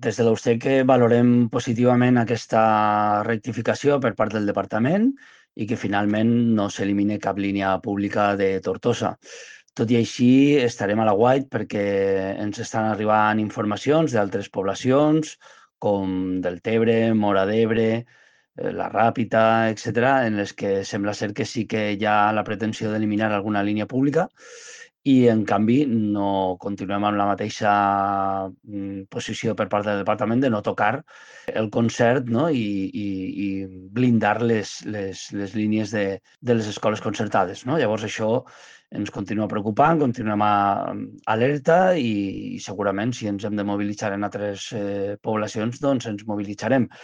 Des de l'USTEC valorem positivament aquesta rectificació per part del departament i que finalment no s'elimine cap línia pública de Tortosa. Tot i així, estarem a l'aguait perquè ens estan arribant informacions d'altres poblacions, com Deltebre, Móra d'Ebre, la Ràpita, etc., en les que sembla ser que sí que hi ha la pretensió d'eliminar alguna línia pública i, en canvi, no continuem amb la mateixa posició per part del departament de no tocar el concert, no? I blindar les línies de les escoles concertades. No? Llavors, això ens continua preocupant, continuem alerta i segurament si ens hem de mobilitzar en altres poblacions, doncs ens mobilitzarem.